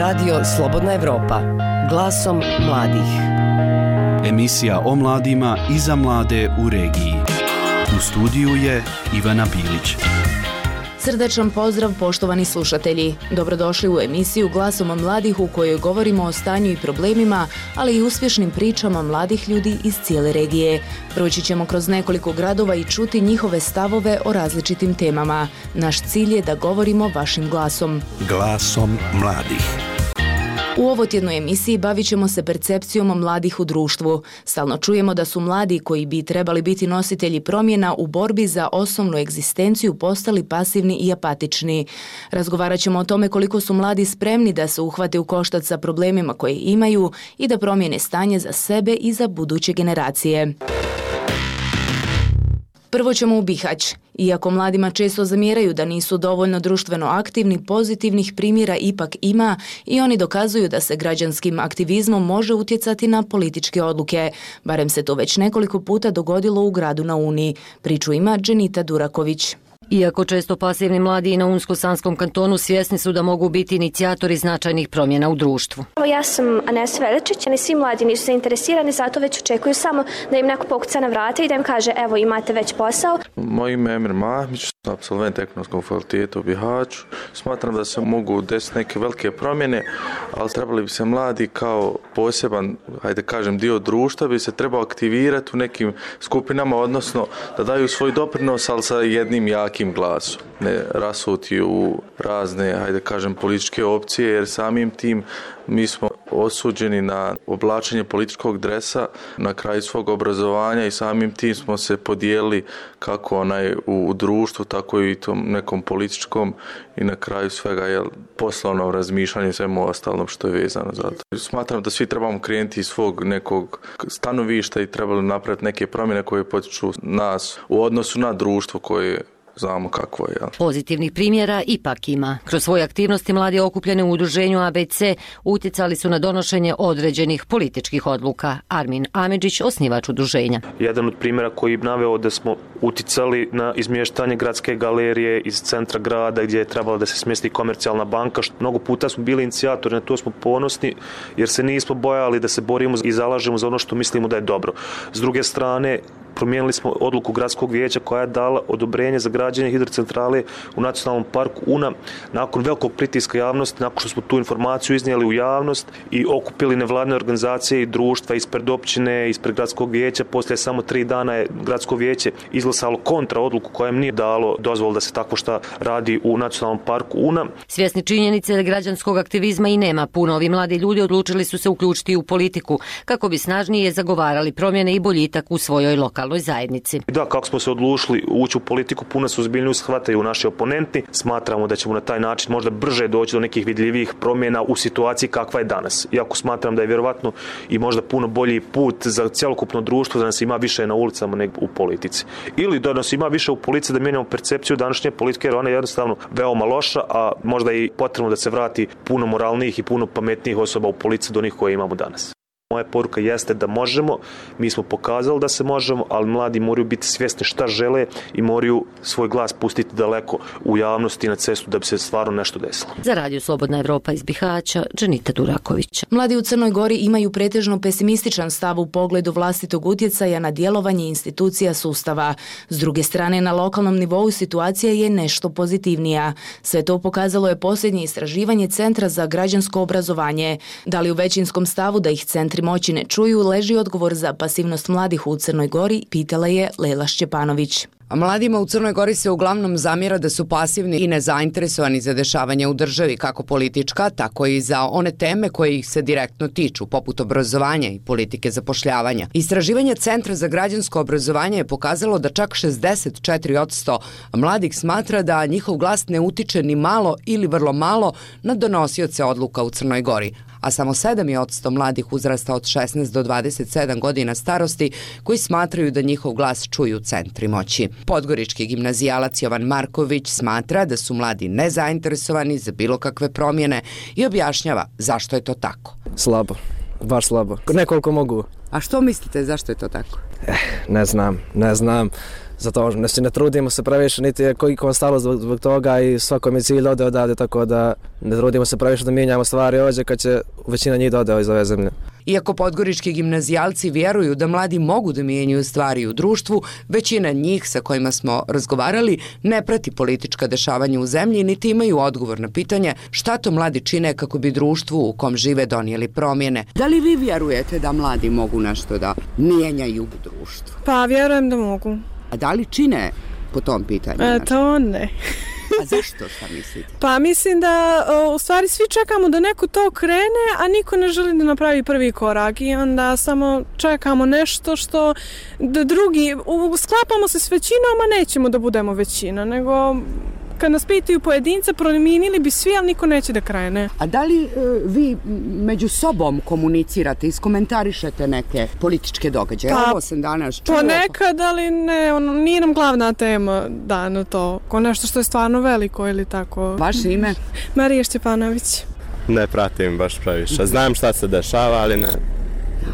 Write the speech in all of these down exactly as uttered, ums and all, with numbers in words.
Radio Slobodna Evropa, glasom mladih. Emisija o mladima i za mlade u regiji. U studiju je Ivana Bilić. Srdačan pozdrav poštovani slušatelji. Dobrodošli u emisiju Glasom mladih u kojoj govorimo o stanju i problemima, ali i uspješnim pričama mladih ljudi iz cijele regije. Proći ćemo kroz nekoliko gradova i čuti njihove stavove o različitim temama. Naš cilj je da govorimo vašim glasom. Glasom mladih. U ovotjednoj emisiji bavit ćemo se percepcijom mladih u društvu. Stalno čujemo da su mladi koji bi trebali biti nositelji promjena u borbi za osnovnu egzistenciju postali pasivni i apatični. Razgovarat ćemo o tome koliko su mladi spremni da se uhvate u koštac sa problemima koje imaju i da promijene stanje za sebe i za buduće generacije. Prvo ćemo u Bihać. Iako mladima često zamjeraju da nisu dovoljno društveno aktivni, pozitivnih primjera ipak ima i oni dokazuju da se građanskim aktivizmom može utjecati na političke odluke. Barem se to već nekoliko puta dogodilo u gradu na Uni. Priču ima Dženita Duraković. Iako često pasivni mladi na Unsko-Sanskom kantonu svjesni su da mogu biti inicijatori značajnih promjena u društvu. Ja sam Anesa Veličić, ali svi mladi nisu zainteresirani, zato već očekuju samo da im neko pokuca na vrata i da im kaže evo imate već posao. Moje ime je Emir Mahmić, apsolvent Ekonomskog fakulteta u Bihaću. Smatram da se mogu desiti neke velike promjene, ali trebali bi se mladi kao poseban, hajde kažem, dio društva bi se trebao aktivirati u nekim skupinama, odnosno da daju svoj doprinos, ali sa jednim jakim glasom, ne rasuti u razne, hajde kažem, političke opcije, jer samim tim mi smo osuđeni na oblačenje političkog dresa na kraju svog obrazovanja i samim tim smo se podijelili kako onaj u društvu, tako i tom nekom političkom i na kraju svega je poslovno razmišljanje i svemu ostalom što je vezano za to. Smatram da svi trebamo krenuti iz svog nekog stanovišta i trebali napraviti neke promjene koje potiču nas u odnosu na društvo koje znamo kakvo je. Pozitivnih primjera ipak ima. Kroz svoje aktivnosti mladi okupljeni u udruženju A B C utjecali su na donošenje određenih političkih odluka. Armin Amidžić, osnivač udruženja. Jedan od primjera koji bi naveo da smo utjecali na izmještanje gradske galerije iz centra grada gdje je trebalo da se smjesti komercijalna banka. Mnogo puta smo bili inicijatori, na to smo ponosni jer se nismo bojali da se borimo i zalažemo za ono što mislimo da je dobro. S druge strane, promijenili smo odluku gradskog vijeća koja je dala odobrenje za građenje hidrocentrale u nacionalnom parku Una nakon velikog pritiska javnosti, nakon što smo tu informaciju iznijeli u javnost i okupili nevladine organizacije i društva ispred općine, ispred gradskog vijeća. Poslije samo tri dana je gradsko vijeće izglasalo kontra odluku koja im nije dalo dozvolu da se tako šta radi u nacionalnom parku Una. Svjesni činjenice da građanskog aktivizma i nema puno, ovi mladi ljudi odlučili su se uključiti u politiku kako bi snažnije zagovarali promjene i boljitak u svojoj lokalnoj zajednici. Da, kako smo se odlučili ući u politiku, puno se ozbiljnije shvataju naši oponenti. Smatramo da ćemo na taj način možda brže doći do nekih vidljivih promjena u situaciji kakva je danas. Iako smatram da je vjerovatno i možda puno bolji put za cjelokupno društvo da nas ima više na ulicama nego u politici. Ili da nas ima više u politici da mijenjamo percepciju današnje politike, jer ona je jednostavno veoma loša, a možda i potrebno da se vrati puno moralnijih i puno pametnijih osoba u policiji do onih koje imamo danas. Moja poruka jeste da možemo, mi smo pokazali da se možemo, ali mladi moraju biti svjesni šta žele i moraju svoj glas pustiti daleko u javnosti i na cestu da bi se stvarno nešto desilo. Za Radio Slobodna Evropa iz Bihaća, Dženita Duraković. Mladi u Crnoj Gori imaju pretežno pesimističan stav u pogledu vlastitog utjecaja na djelovanje institucija sustava. S druge strane, na lokalnom nivou situacija je nešto pozitivnija. Sve to pokazalo je posljednje istraživanje Centra za građansko obrazovanje. Da li u većinskom stavu da ih centri moći ne čuju, leži odgovor za pasivnost mladih u Crnoj Gori, pitala je Lela Šćepanović. A mladima u Crnoj Gori se uglavnom zamjera da su pasivni i nezainteresovani za dešavanja u državi, kako politička, tako i za one teme koje ih se direktno tiču, poput obrazovanja i politike zapošljavanja. Istraživanje Centra za građansko obrazovanje je pokazalo da čak šezdeset četiri posto mladih smatra da njihov glas ne utiče ni malo ili vrlo malo na donosioce odluka u Crnoj Gori, a samo sedam posto mladih uzrasta od šesnaest do dvadeset sedam godina starosti koji smatraju da njihov glas čuju centri moći. Podgorički gimnazijalac Jovan Marković smatra da su mladi nezainteresovani za bilo kakve promjene i objašnjava zašto je to tako. Slabo, baš slabo. Nekoliko mogu. A što mislite zašto je to tako? Eh, ne znam, ne znam. Zato znači, ne trudimo se previše, niti je koliko stalo zbog, zbog toga i svakom je cilj ode odavde, tako da ne trudimo se previše da mijenjamo stvari ovdje kad će većina njih da ode iz ove zemlje. Iako podgorički gimnazijalci vjeruju da mladi mogu da mijenjaju stvari u društvu, većina njih sa kojima smo razgovarali ne prati politička dešavanja u zemlji niti imaju odgovor na pitanje šta to mladi čine kako bi društvu u kom žive donijeli promjene. Da li vi vjerujete da mladi mogu nešto da mijenjaju u društvu? Pa vjerujem da mogu. A da li čine po tom pitanju? E, to ne. A zašto, šta mislite? Pa mislim da u stvari svi čekamo da neko to krene, a niko ne želi da napravi prvi korak i onda samo čekamo nešto što da drugi, sklapamo se s većinom, a nećemo da budemo većina, nego kad nas pitaju pojedinca, promijenili bi svi, ali niko neće da krene. A da li uh, vi među sobom komunicirate, iskomentarišete neke političke događaje? Pa, Ovo sam danas čuo. Ponekad, ali ne, ono, nije nam glavna tema dana to, ko nešto što je stvarno veliko ili tako. Vaše ime? Marija Šćepanović. Ne pratim baš previše. Znam šta se dešava, ali ne.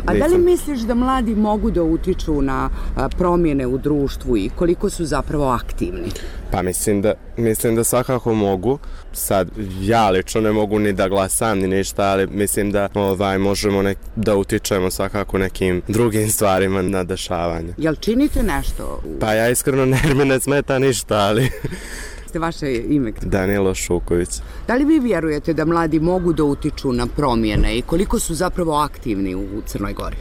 A da li misliš da mladi mogu da utiču na promjene u društvu i koliko su zapravo aktivni? Pa mislim da, mislim da svakako mogu. Sad, ja lično ne mogu ni da glasam ni ništa, ali mislim da ovaj, možemo nek, da utičemo svakako nekim drugim stvarima na dešavanje. Jel činite nešto? Pa ja iskreno ne, mi ne smeta ništa, ali... Vaše ime? Danilo Šuković. Da li vi vjerujete da mladi mogu da utiču na promjene i koliko su zapravo aktivni u Crnoj Gori?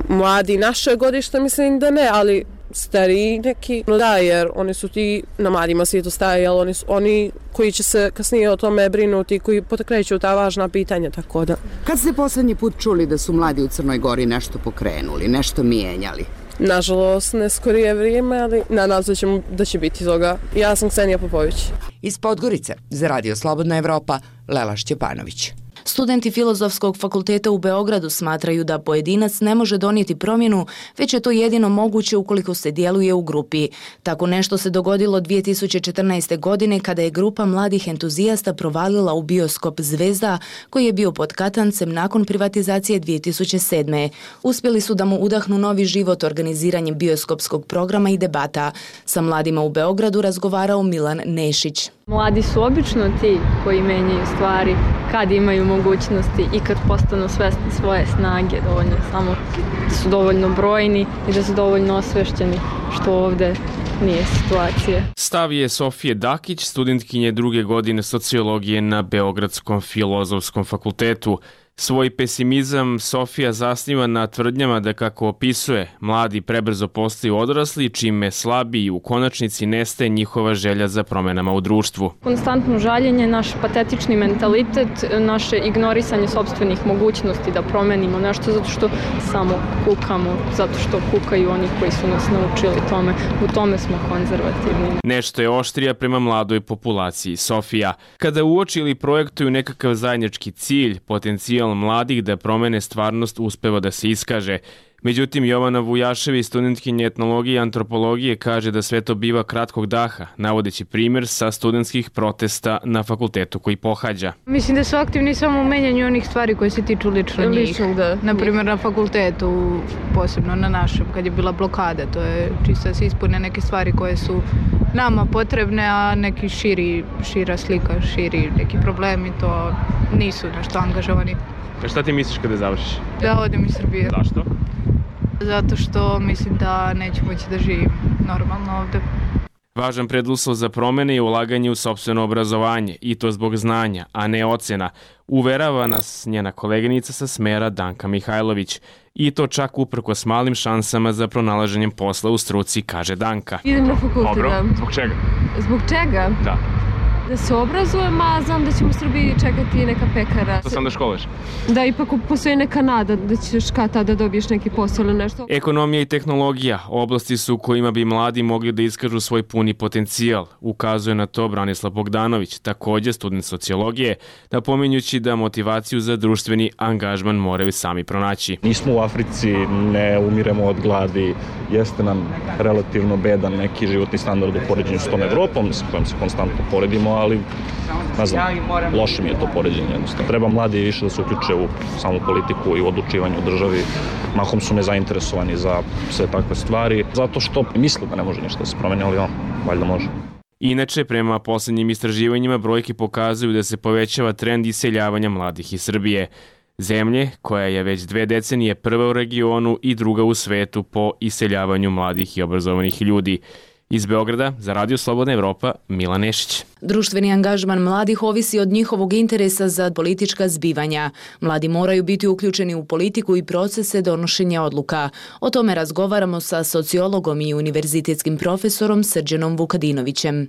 Mladi naše godište mislim da ne, ali stariji neki, no da, jer oni su ti na mladima svijetu staje, ali oni, su, oni koji će se kasnije o tome brinuti, koji potakreću ta važna pitanja, tako da. Kad ste posljednji put čuli da su mladi u Crnoj Gori nešto pokrenuli, nešto mijenjali? Nažalost, ne skorije vrijeme, ali nadam se da, ćemo, da će biti toga. Ja sam Ksenija Popović. Iz Podgorice, za Radio Slobodna Evropa, Lela Šćepanović. Studenti Filozofskog fakulteta u Beogradu smatraju da pojedinac ne može donijeti promjenu, već je to jedino moguće ukoliko se djeluje u grupi. Tako nešto se dogodilo dvije tisuće četrnaeste. godine kada je grupa mladih entuzijasta provalila u bioskop Zvezda, koji je bio pod katancem nakon privatizacije dvije tisuće sedme. Uspjeli su da mu udahnu novi život organiziranjem bioskopskog programa i debata. Sa mladima u Beogradu razgovarao Milan Nešić. Mladi su obično ti koji menjaju stvari kad imaju mogućnosti i kad postanu svesni svoje snage, dovoljno samo da su dovoljno brojni i da su dovoljno osvešćeni, što ovdje nije situacija. Stav je Sofije Dakić, studentkinje druge godine sociologije na Beogradskom filozofskom fakultetu. Svoj pesimizam Sofija zasniva na tvrdnjama da, kako opisuje, mladi prebrzo postaju odrasli, čime slabi i u konačnici nestaje njihova želja za promjenama u društvu. Konstantno žaljenje, naš patetični mentalitet, naše ignorisanje sopstvenih mogućnosti da promenimo nešto zato što samo kukamo, zato što kukaju oni koji su nas naučili tome. U tome smo konzervativni. Nešto je oštrija prema mladoj populaciji Sofija. Kada uoči ili projektuju nekakav zajednički cilj, potencijal mladih da promene stvarnost uspeva da se iskaže. Međutim, Jovana Vujašević, studentkinja etnologije i antropologije, kaže da sve to biva kratkog daha, navodeći primjer sa studentskih protesta na fakultetu koji pohađa. Mislim da su aktivni samo u menjanju onih stvari koje se tiču lično njih. Lično, da. Naprimjer na fakultetu, posebno na našem, kad je bila blokada, to je čisto da se ispune neke stvari koje su nama potrebne, a neki širi, šira slika, širi neki problemi, to nisu nešto angažovani. A šta ti misliš kada završiš? Da odem iz Srbije. Zašto? Zato što mislim da neću moći da živim normalno ovdje. Važan preduslov za promjene je ulaganje u sopstveno obrazovanje, i to zbog znanja, a ne ocena, uverava nas njena koleginica sa smera Danka Mihajlović. I to čak uprkos malim šansama za pronalaženjem posla u struci, kaže Danka. Idem na fakultet. Dobro, zbog čega? Zbog čega? Da. Da se obrazujem, a znam da ćemo u Srbiji čekati neka pekara. To sam da školuješ? Da, ipak postoji neka nada da ćeš kad tada dobiješ neki posao ili nešto. Ekonomija i tehnologija oblasti su u kojima bi mladi mogli da iskažu svoj puni potencijal, ukazuje na to Branislav Bogdanović, također student sociologije, napominjući da motivaciju za društveni angažman moraju sami pronaći. Nismo u Africi, ne umiremo od gladi, jeste nam relativno bedan neki životni standard u poređenju s tom Evropom s kojom se konstantno poredimo, ali ne znam, loše mi je to poređenje jednostavno. Treba mladi više da se uključe u samu politiku i u odlučivanje u državi. Mahom su nezainteresovani za sve takve stvari, zato što misle da ne može ništa da se promeni, ali on, valjda može. Inače, prema posljednjim istraživanjima, brojke pokazuju da se povećava trend iseljavanja mladih iz Srbije, zemlje koja je već dve decenije prva u regionu i druga u svetu po iseljavanju mladih i obrazovanih ljudi. Iz Beograda, za Radio Slobodna Evropa, Milan Nešić. Društveni angažman mladih ovisi od njihovog interesa za politička zbivanja. Mladi moraju biti uključeni u politiku i procese donošenja odluka. O tome razgovaramo sa sociologom i univerzitetskim profesorom Srđanom Vukadinovićem.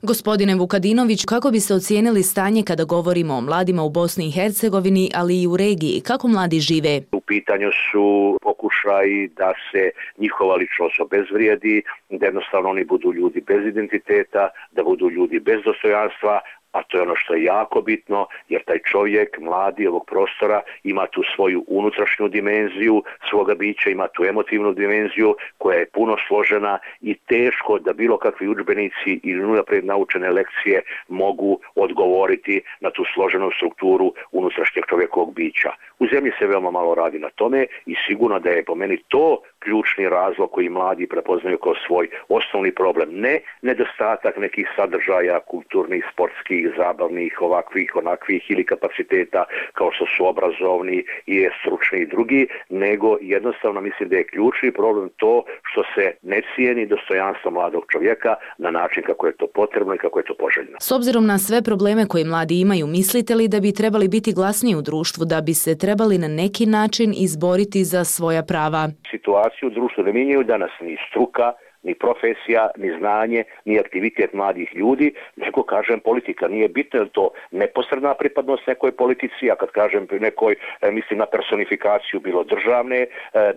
Gospodine Vukadinović, kako biste ocijenili stanje kada govorimo o mladima u Bosni i Hercegovini, ali i u regiji? Kako mladi žive? U pitanju su pokušaji da se njihova ličnost obezvrijedi, da jednostavno oni budu ljudi bez identiteta, da budu ljudi bez dostojanstva, a to je ono što je jako bitno, jer taj čovjek, mladi ovog prostora, ima tu svoju unutrašnju dimenziju svoga bića, ima tu emotivnu dimenziju koja je puno složena i teško da bilo kakvi udžbenici ili unaprijed naučene lekcije mogu odgovoriti na tu složenu strukturu unutrašnjeg čovjekovog bića. U zemlji se veoma malo radi na tome i sigurno da je po meni to ključni razlog koji mladi prepoznaju kao svoj osnovni problem. Ne nedostatak nekih sadržaja, kulturnih, sportskih, zabavnih, ovakvih, onakvih ili kapaciteta kao što su obrazovni i stručni i drugi, nego jednostavno mislim da je ključni problem to što se ne cijeni dostojanstvo mladog čovjeka na način kako je to potrebno i kako je to poželjno. S obzirom na sve probleme koje mladi imaju, mislite li da bi trebali biti glasniji u društvu, da bi se trebali na neki način izboriti za svoja prava? Situaciju u društvu ne mijenjaju danas ni struka, ni profesija, ni znanje, ni aktivitet mladih ljudi, nego kažem politika. Nije bitno je to neposredna pripadnost nekoj politici, a kad kažem nekoj, mislim na personifikaciju bilo državne,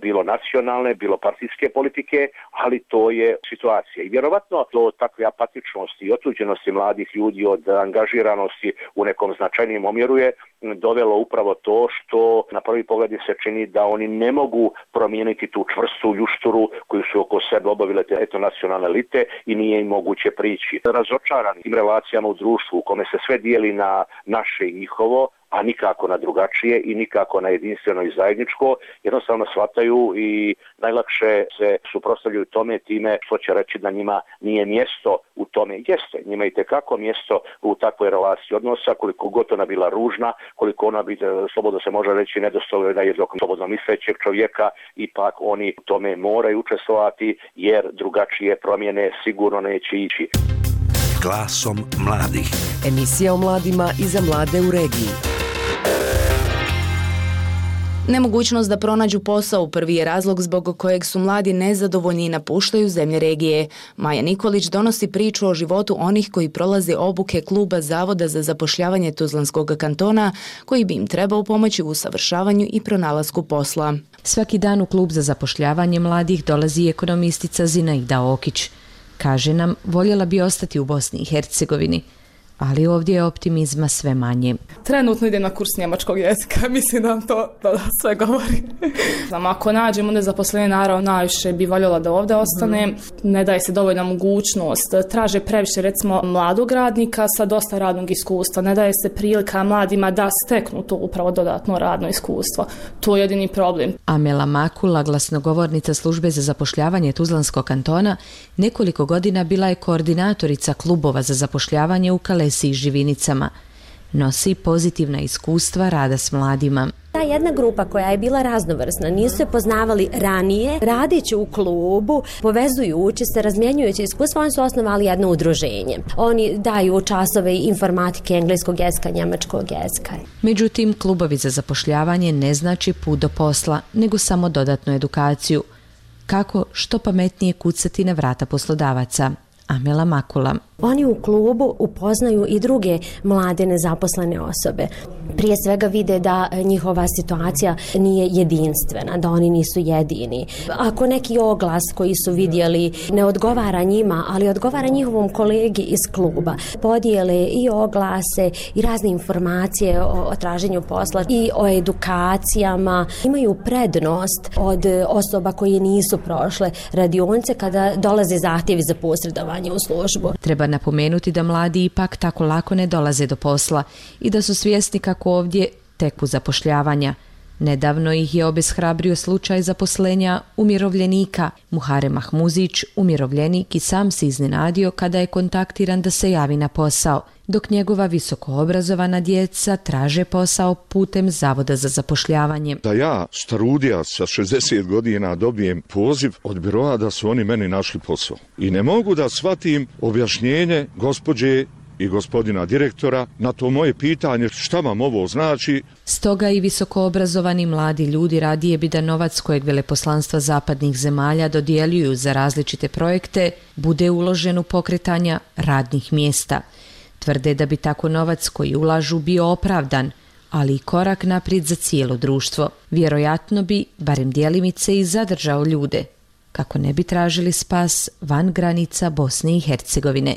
bilo nacionalne, bilo partijske politike, ali to je situacija. I vjerovatno do takve apatičnosti i otuđenosti mladih ljudi od angažiranosti u nekom značajnijem omjeru je dovelo upravo to što na prvi pogled se čini da oni ne mogu promijeniti tu čvrstu ljušturu koju su oko sebe obavile te eto nacionalne elite i nije im moguće prići. Razočarani tim relacijama u društvu u kome se sve dijeli na naše i njihovo, a nikako na drugačije i nikako na jedinstveno i zajedničko, jednostavno shvataju i najlakše se suprotstavljaju tome time što će reći da njima nije mjesto u tome. Jeste, njima i tekako mjesto u takvoj relaciji odnosa, koliko god ona bila ružna, koliko ona bi, slobodno se može reći, nedostojna jednog slobodno mislećeg čovjeka, ipak oni u tome moraju učestvovati jer drugačije promjene sigurno neće ići. Glasom mladih. Emisija o mladima i za mlade u regiji. Nemogućnost da pronađu posao prvi je razlog zbog kojeg su mladi nezadovoljni i napuštaju zemlje regije. Maja Nikolić donosi priču o životu onih koji prolaze obuke kluba Zavoda za zapošljavanje Tuzlanskog kantona, koji bi im trebao pomoći u usavršavanju i pronalasku posla. Svaki dan u klub za zapošljavanje mladih dolazi ekonomistica Zinaida Okić. Kaže nam, voljela bi ostati u Bosni i Hercegovini, ali ovdje je optimizma sve manje. Trenutno idem na kurs njemačkog jezika, mislim da vam to da sve govori. Znam, ako nađem onda zaposlenje, naravno najviše bi voljela da ovdje ostane. Mm. Ne daje se dovoljna mogućnost. Traže previše recimo mladog radnika sa dosta radnog iskustva. Ne daje se prilika mladima da steknu to upravo dodatno radno iskustvo. To je jedini problem. Amela Makula, glasnogovornica službe za zapošljavanje Tuzlanskog kantona, nekoliko godina bila je koordinatorica klubova za zapošljavanje u Kalesi i Živinicama. Nosi pozitivna iskustva rada s mladima. Ta jedna grupa koja je bila raznovrsna, nisu se poznavali ranije, radići u klubu, povezujući se, razmjenjujući iskustva, oni su osnovali jedno udruženje. Oni daju časove informatike, engleskog jezika, njemačkog jezika. Međutim, klubovi za zapošljavanje ne znači put do posla, nego samo dodatnu edukaciju. Kako što pametnije kucati na vrata poslodavaca. Amela Makula. Oni u klubu upoznaju i druge mlade nezaposlene osobe. Prije svega vide da njihova situacija nije jedinstvena, da oni nisu jedini. Ako neki oglas koji su vidjeli ne odgovara njima, ali odgovara njihovom kolegi iz kluba, podijele i oglase i razne informacije o, o traženju posla i o edukacijama, imaju prednost od osoba koje nisu prošle radionice kada dolaze zahtjevi za posredovanje u službu. Treba napomenuti da mladi ipak tako lako ne dolaze do posla i da su svjesni kako ovdje teku zapošljavanja. Nedavno ih je obeshrabrio slučaj zaposlenja umirovljenika. Muharem Mahmuzić, umirovljenik, i sam se iznenadio kada je kontaktiran da se javi na posao, dok njegova visokoobrazovana djeca traže posao putem Zavoda za zapošljavanje. Da ja, starudija sa šezdeset godina, dobijem poziv od biroa da su oni meni našli posao. I ne mogu da shvatim objašnjenje gospođe i gospodina direktora na to moje pitanje šta vam ovo znači. Stoga i visokoobrazovani mladi ljudi radije bi da novac kojeg veleposlanstva zapadnih zemalja dodjeljuju za različite projekte bude uložen u pokretanja radnih mjesta. Tvrde da bi tako novac koji ulažu bio opravdan, ali i korak naprijed za cijelo društvo. Vjerojatno bi, barem djelimice, i zadržao ljude, kako ne bi tražili spas van granica Bosne i Hercegovine.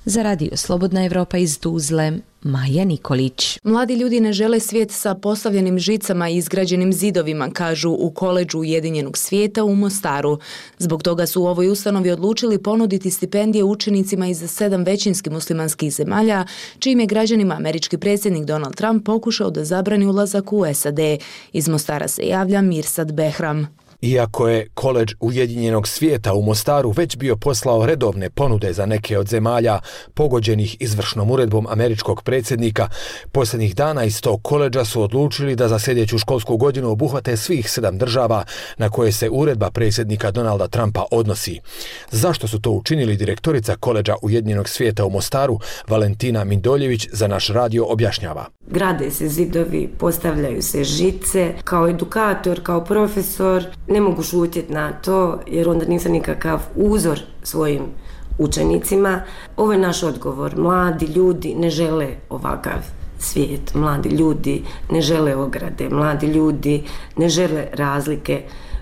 Za Radio Slobodna Evropa iz Tuzle, Maja Nikolić. Mladi ljudi ne žele svijet sa postavljenim žicama i izgrađenim zidovima, kažu u Koledžu Ujedinjenog svijeta u Mostaru. Zbog toga su u ovoj ustanovi odlučili ponuditi stipendije učenicima iz sedam većinski muslimanskih zemalja, čijim je građanima američki predsjednik Donald Trump pokušao da zabrani ulazak u S A D. Iz Mostara se javlja Mirsad Behram. Iako je Koledž Ujedinjenog svijeta u Mostaru već bio poslao redovne ponude za neke od zemalja pogođenih izvršnom uredbom američkog predsjednika, posljednjih dana iz tog koledža su odlučili da za sljedeću školsku godinu obuhvate svih sedam država na koje se uredba predsjednika Donalda Trumpa odnosi. Zašto su to učinili, direktorica Koledža Ujedinjenog svijeta u Mostaru, Valentina Mindoljević, za naš radio objašnjava. Grade se zidovi, postavljaju se žice. Kao edukator, kao profesor, ne mogu šutjeti na to jer onda nisam nikakav uzor svojim učenicima. Ovo je naš odgovor. Mladi ljudi ne žele ovakav svijet. Mladi ljudi ne žele ograde. Mladi ljudi ne žele razlike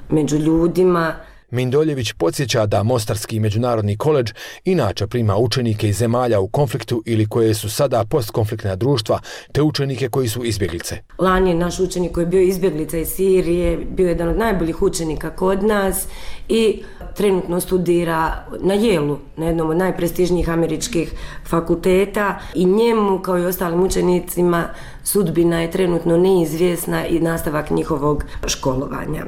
među ljudima. Mindoljević podsjeća da Mostarski međunarodni koledž inače prima učenike iz zemalja u konfliktu ili koje su sada postkonfliktna društva, te učenike koji su izbjeglice. Lani je naš učenik koji je bio izbjeglica iz Sirije, bio jedan od najboljih učenika kod nas i trenutno studira na Yale, na jednom od najprestižnijih američkih fakulteta, i njemu kao i ostalim učenicima sudbina je trenutno neizvjesna i nastavak njihovog školovanja.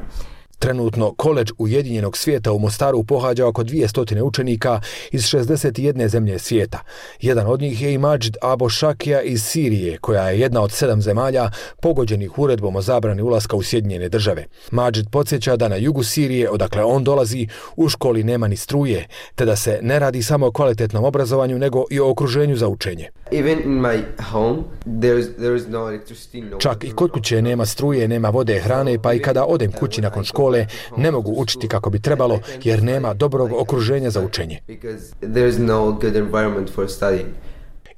Trenutno Koledž Ujedinjenog svijeta u Mostaru pohađa oko dvjesto učenika iz šezdeset jedne zemlje svijeta. Jedan od njih je i Mađid Abo Šakija iz Sirije, koja je jedna od sedam zemalja pogođenih uredbom o zabrani ulaska u Sjedinjene države. Mađid podsjeća da na jugu Sirije, odakle on dolazi, u školi nema ni struje, te da se ne radi samo o kvalitetnom obrazovanju, nego i o okruženju za učenje. Čak i kod kuće nema struje, nema vode, hrane, pa i kada odem kući nakon škole ne mogu učiti kako bi trebalo jer nema dobrog okruženja za učenje.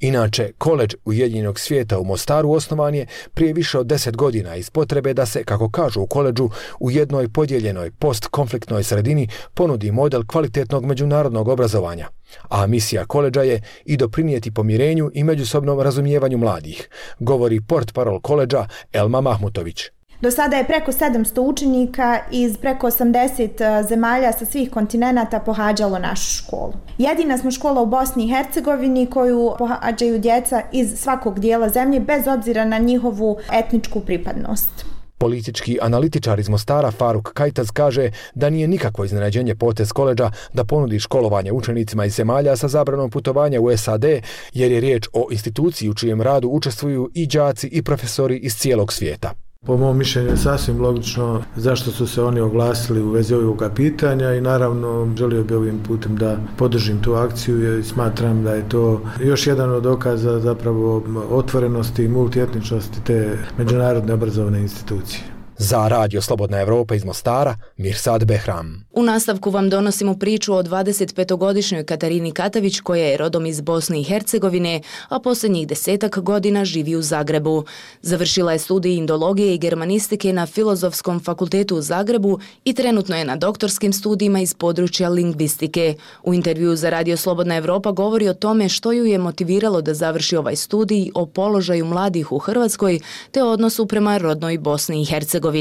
Inače, Koledž Ujedinjenog svijeta u Mostaru osnovan je prije više od deset godina iz potrebe da se, kako kažu u koledžu, u jednoj podijeljenoj postkonfliktnoj sredini ponudi model kvalitetnog međunarodnog obrazovanja. A misija koledža je i doprinijeti pomirenju i međusobnom razumijevanju mladih, govori portparol koledža Elma Mahmutović. Do sada je preko sedamsto učenika iz preko osamdeset zemalja sa svih kontinenata pohađalo našu školu. Jedina smo škola u Bosni i Hercegovini koju pohađaju djeca iz svakog dijela zemlje bez obzira na njihovu etničku pripadnost. Politički analitičar iz Mostara Faruk Kajtaz kaže da nije nikakvo iznenađenje potez koledža da ponudi školovanje učenicima iz zemalja sa zabranom putovanja u S A D, jer je riječ o instituciji u čijem radu učestvuju i đaci i profesori iz cijelog svijeta. Po mom mišljenju je sasvim logično zašto su se oni oglasili u vezi ovoga pitanja i naravno želio bih ovim putem da podržim tu akciju i smatram da je to još jedan od dokaza zapravo otvorenosti i multietničnosti te međunarodne obrazovne institucije. Za Radio Slobodna Evropa iz Mostara, Mirsad Behram. U nastavku vam donosimo priču o dvadesetpetogodišnjoj Katarini Katavić, koja je rodom iz Bosne i Hercegovine, a posljednjih desetak godina živi u Zagrebu. Završila je studij indologije i germanistike na Filozofskom fakultetu u Zagrebu i trenutno je na doktorskim studijima iz područja lingvistike. U intervjuu za Radio Slobodna Evropa govori o tome što ju je motiviralo da završi ovaj studij, o položaju mladih u Hrvatskoj te odnosu prema rodnoj Bosni i Hercegovini.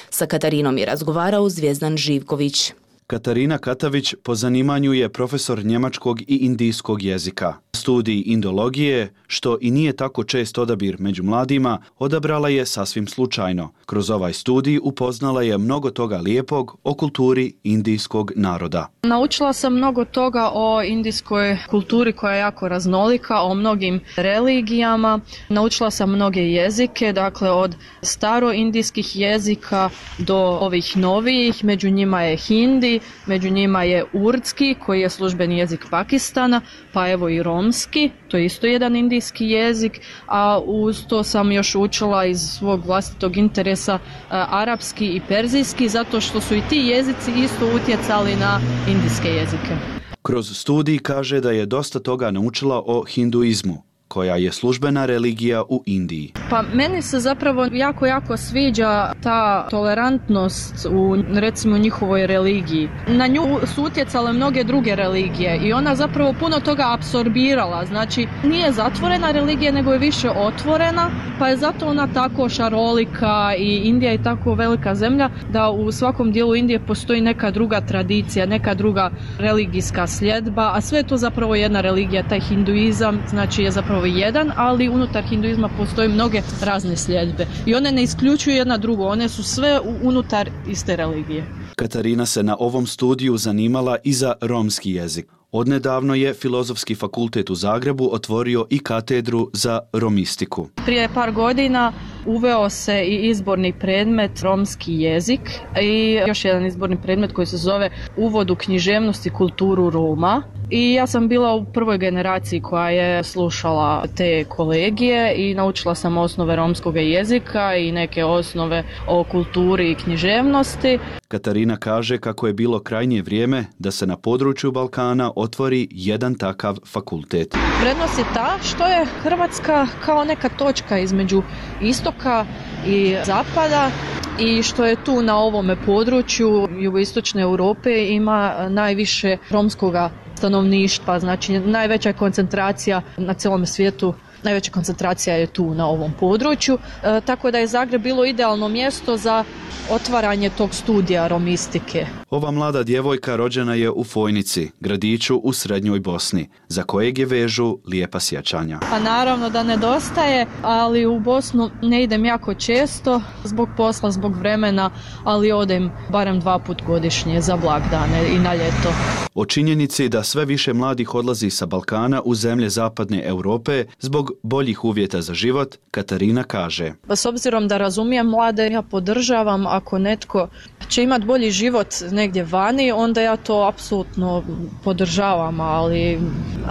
Sa Katarinom je razgovarao Zvijezdan Živković. Katarina Katavić po zanimanju je profesor njemačkog i indijskog jezika. Studij indologije, što i nije tako čest odabir među mladima, odabrala je sasvim slučajno. Kroz ovaj studij upoznala je mnogo toga lijepog o kulturi indijskog naroda. Naučila sam mnogo toga o indijskoj kulturi koja je jako raznolika, o mnogim religijama. Naučila sam mnoge jezike, dakle od staroindijskih jezika do ovih novijih, među njima je hindi, među njima je urdski koji je službeni jezik Pakistana, pa evo i romski, to je isto jedan indijski jezik, a uz to sam još učila iz svog vlastitog interesa arapski i perzijski, zato što su i ti jezici isto utjecali na indijske jezike. Kroz studij kaže da je dosta toga naučila o hinduizmu, koja je službena religija u Indiji. Pa meni se zapravo jako, jako sviđa ta tolerantnost u, recimo, njihovoj religiji. Na nju su utjecale mnoge druge religije i ona zapravo puno toga apsorbirala. Znači, nije zatvorena religija, nego je više otvorena, pa je zato ona tako šarolika i Indija je tako velika zemlja da u svakom dijelu Indije postoji neka druga tradicija, neka druga religijska sljedba, a sve je to zapravo jedna religija. Taj hinduizam, znači, je zapravo jedan, ali unutar hinduizma postoje mnoge razne sljedbe i one ne isključuju jedna drugu, one su sve unutar iste religije. Katarina se na ovom studiju zanimala i za romski jezik. Odnedavno je Filozofski fakultet u Zagrebu otvorio i katedru za romistiku. Prije par godina uveo se i izborni predmet romski jezik i još jedan izborni predmet koji se zove Uvod u književnost i kulturu Roma. I ja sam bila u prvoj generaciji koja je slušala te kolegije i naučila sam osnove romskog jezika i neke osnove o kulturi i književnosti. Katarina kaže kako je bilo krajnje vrijeme da se na području Balkana otvori jedan takav fakultet. Prednost je ta što je Hrvatska kao neka točka između istoka i zapada i što je tu na ovome području jugoistočne Europe ima najviše romskoga stanovništva, znači najveća koncentracija na cijelom svijetu, najveća koncentracija je tu na ovom području, e, tako da je Zagreb bilo idealno mjesto za otvaranje tog studija romistike. Ova mlada djevojka rođena je u Fojnici, gradiću u srednjoj Bosni, za kojeg je vežu lijepa sjećanja. Pa naravno da nedostaje, ali u Bosnu ne idem jako često, zbog posla, zbog vremena, ali odem barem dva put godišnje za blagdane i na ljeto. O činjenici da sve više mladih odlazi sa Balkana u zemlje zapadne Europe zbog boljih uvjeta za život, Katarina kaže. S obzirom da razumijem mlade, ja podržavam ako netko će imati bolji život negdje vani, onda ja to apsolutno podržavam, ali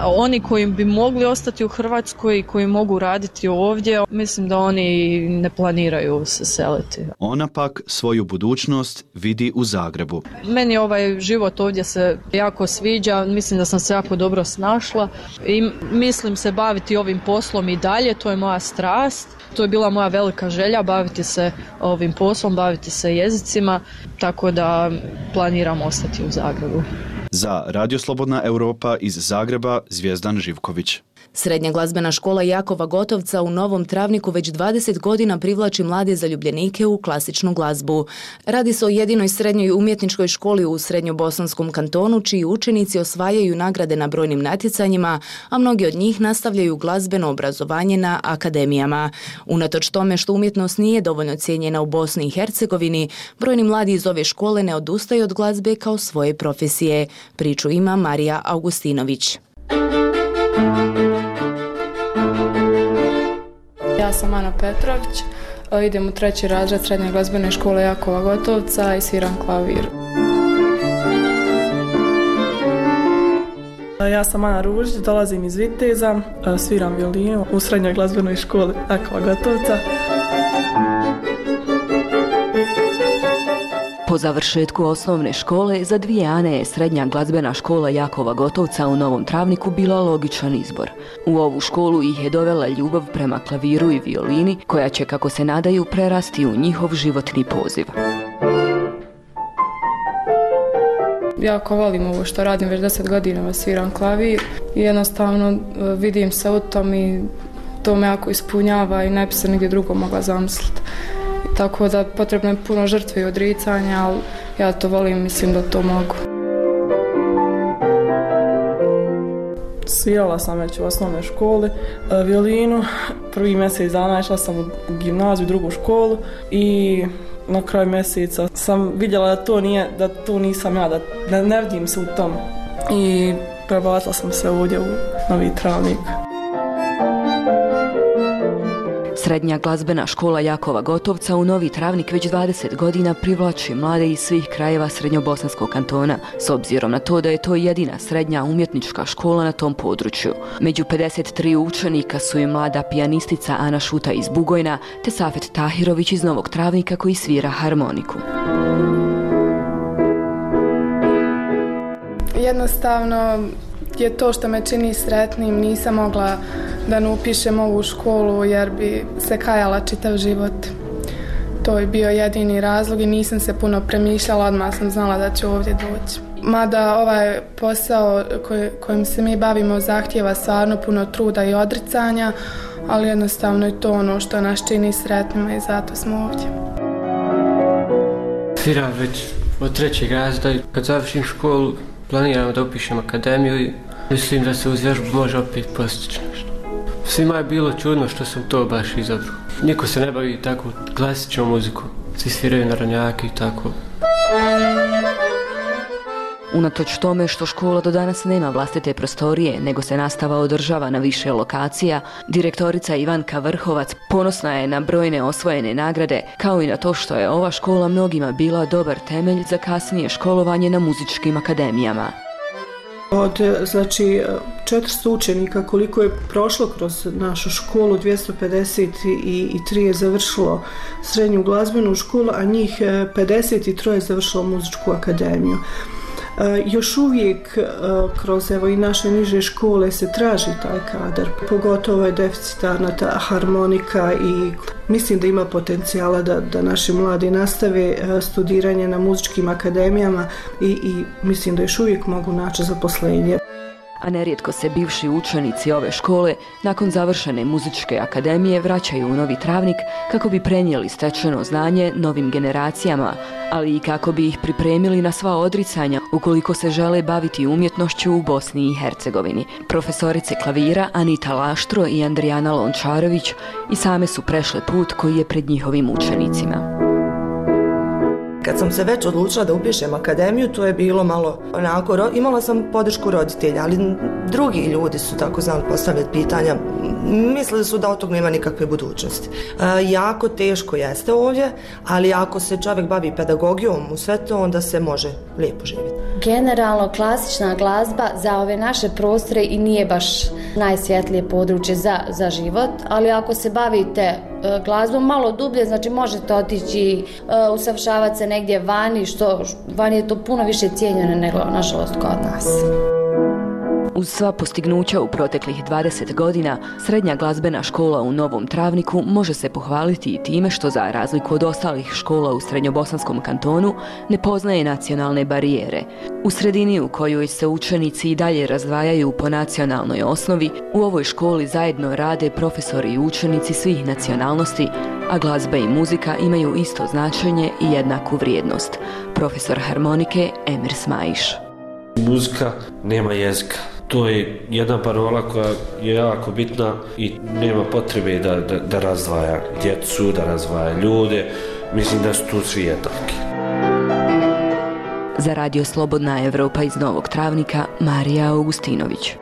oni koji bi mogli ostati u Hrvatskoj i koji mogu raditi ovdje, mislim da oni ne planiraju se seliti. Ona pak svoju budućnost vidi u Zagrebu. Meni ovaj život ovdje se jako sviđa, mislim da sam se jako dobro snašla i mislim se baviti ovim poslom i dalje, to je moja strast. To je bila moja velika želja, baviti se ovim poslom, baviti se jezicima, tako da planiram ostati u Zagrebu. Za Radio Slobodna Europa iz Zagreba, Zvijezdan Živković. Srednja glazbena škola Jakova Gotovca u Novom Travniku već dvadeset godina privlači mlade zaljubljenike u klasičnu glazbu. Radi se o jedinoj srednjoj umjetničkoj školi u Srednjobosanskom kantonu, čiji učenici osvajaju nagrade na brojnim natjecanjima, a mnogi od njih nastavljaju glazbeno obrazovanje na akademijama. Unatoč tome što umjetnost nije dovoljno cijenjena u Bosni i Hercegovini, brojni mladi iz ove škole ne odustaju od glazbe kao svoje profesije. Priču ima Marija Augustinović. Ja sam Ana Petrović, idem u treći razred Srednje glazbene škole Jakova Gotovca i sviram klavir. Ja sam Ana Ružić, dolazim iz Viteza, sviram violinu u Srednjoj glazbenoj školi Jakova Gotovca. Po završetku osnovne škole, za dvije Ane je Srednja glazbena škola Jakova Gotovca u Novom Travniku bila logičan izbor. U ovu školu ih je dovela ljubav prema klaviru i violini, koja će, kako se nadaju, prerasti u njihov životni poziv. Jako volim ovo što radim, već deset godina sviram klavir i jednostavno vidim se u tom i to me jako ispunjava i ne bi se nigdje drugo mogla zamisliti. Tako da potrebno je puno žrtve i odricanja, ali ja to volim, mislim da to mogu. Svirala sam već u osnovnoj školi violinu. Prvi mjesec dana išla sam u gimnaziju, drugu školu i na kraju mjeseca sam vidjela da to nije, da to nisam ja, da, da ne vidim se u tom. I prebacila sam se ovdje u Novi Travnik. Srednja glazbena škola Jakova Gotovca u Novi Travnik već dvadeset godina privlači mlade iz svih krajeva Srednjobosanskog kantona, s obzirom na to da je to jedina srednja umjetnička škola na tom području. Među pedeset tri učenika su i mlada pijanistica Ana Šuta iz Bugojna, te Safet Tahirović iz Novog Travnika koji svira harmoniku. Jednostavno je to što me čini sretnim, nisam mogla da ne upišem ovu školu jer bi se kajala čitav život. To je bio jedini razlog i nisam se puno premišljala, odmah sam znala da ću ovdje doći. Mada ovaj posao koj, kojim se mi bavimo zahtijeva stvarno puno truda i odricanja, ali jednostavno je to ono što nas čini sretnima i zato smo ovdje. Sviram već od trećeg razreda i kad završim školu planiramo da upišem akademiju i mislim da se uz vježbu može opet postići nešto. Svima je bilo čudno što sam to baš izabrao. Niko se ne bavi tako klasičnom muzikom. Svi sviraju narodnjake i tako. Unatoč tome što škola do danas nema vlastite prostorije, nego se nastava održava na više lokacija, direktorica Ivanka Vrhovac ponosna je na brojne osvojene nagrade, kao i na to što je ova škola mnogima bila dobar temelj za kasnije školovanje na muzičkim akademijama. Od znači, četiristo učenika koliko je prošlo kroz našu školu, dvjesto pedeset tri je završilo srednju glazbenu školu, a njih pedeset tri je završilo muzičku akademiju. Još uvijek kroz evo i naše niže škole se traži taj kadar, pogotovo je deficitarna ta harmonika i mislim da ima potencijala da, da naši mladi nastave studiranje na muzičkim akademijama i, i mislim da još uvijek mogu naći zaposlenje. A nerijetko se bivši učenici ove škole nakon završene muzičke akademije vraćaju u Novi Travnik kako bi prenijeli stečeno znanje novim generacijama, ali i kako bi ih pripremili na sva odricanja ukoliko se žele baviti umjetnošću u Bosni i Hercegovini. Profesorice klavira Anita Laštro i Andrijana Lončarović i same su prešle put koji je pred njihovim učenicima. Kad sam se već odlučila da upišem akademiju, to je bilo malo onako, imala sam podršku roditelja, ali drugi ljudi su tako znali postavljati pitanja, mislili su da od tog nema nikakve budućnosti. E, jako teško jeste ovdje, ali ako se čovjek bavi pedagogijom u sve to, onda se može lijepo živjeti. Generalno, klasična glazba za ove naše prostore i nije baš najsvjetlije područje za, za život, ali ako se bavite glazbom malo dublje, znači možete otići uh, usavršavati se negdje vani, što vani je to puno više cijenjeno nego nažalost kod nas. Uz sva postignuća u proteklih dvadeset godina, srednja glazbena škola u Novom Travniku može se pohvaliti i time što, za razliku od ostalih škola u Srednjobosanskom kantonu, ne poznaje nacionalne barijere. U sredini u kojoj se učenici i dalje razdvajaju po nacionalnoj osnovi, u ovoj školi zajedno rade profesori i učenici svih nacionalnosti, a glazba i muzika imaju isto značenje i jednaku vrijednost. Profesor harmonike Emir Smajiš. Muzika nema jezika. To je jedna parola koja je jako bitna i nema potrebe da, da, da razdvaja djecu, da razdvaja ljude. Mislim da su tu svi jednaki. Za Radio Slobodna Evropa iz Novog Travnika, Marija Augustinović.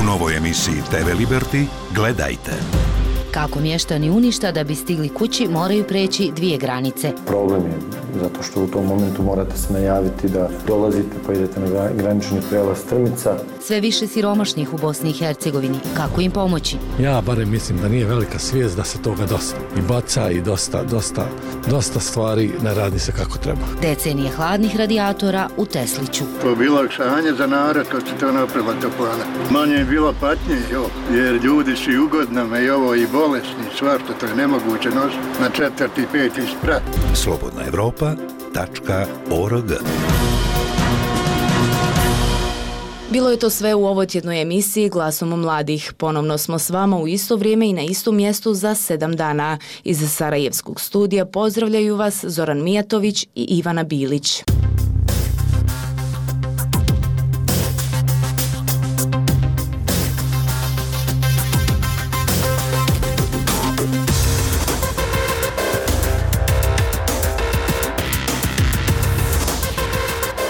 U novoj emisiji te ve Liberty gledajte. Kako mještani Uništa da bi stigli kući moraju preći dvije granice. Problem je zato što u tom momentu morate se najaviti da dolazite pa idete na granični prijelaz Strmica. Sve više siromašnih u Bosni i Hercegovini. Kako im pomoći? Ja barem mislim da nije velika svijest da se toga dosta i baca i dosta, dosta, dosta stvari ne radi se kako treba. Decenije hladnih radijatora u Tesliću. To je bilo olakšanje za narod, to će to napravila toplana. Manje je bilo patnje, jo, jer ljudi su i ugodnama i ovo i bolesni, svašta, to je nemoguće nositi na četvrti, peti sprat. Slobodna Evropa tačka org. Bilo je to sve u ovotjednoj emisiji Glasom mladih. Ponovno smo s vama u isto vrijeme i na istom mjestu za sedam dana. Iz Sarajevskog studija pozdravljaju vas Zoran Mijatović i Ivana Bilić.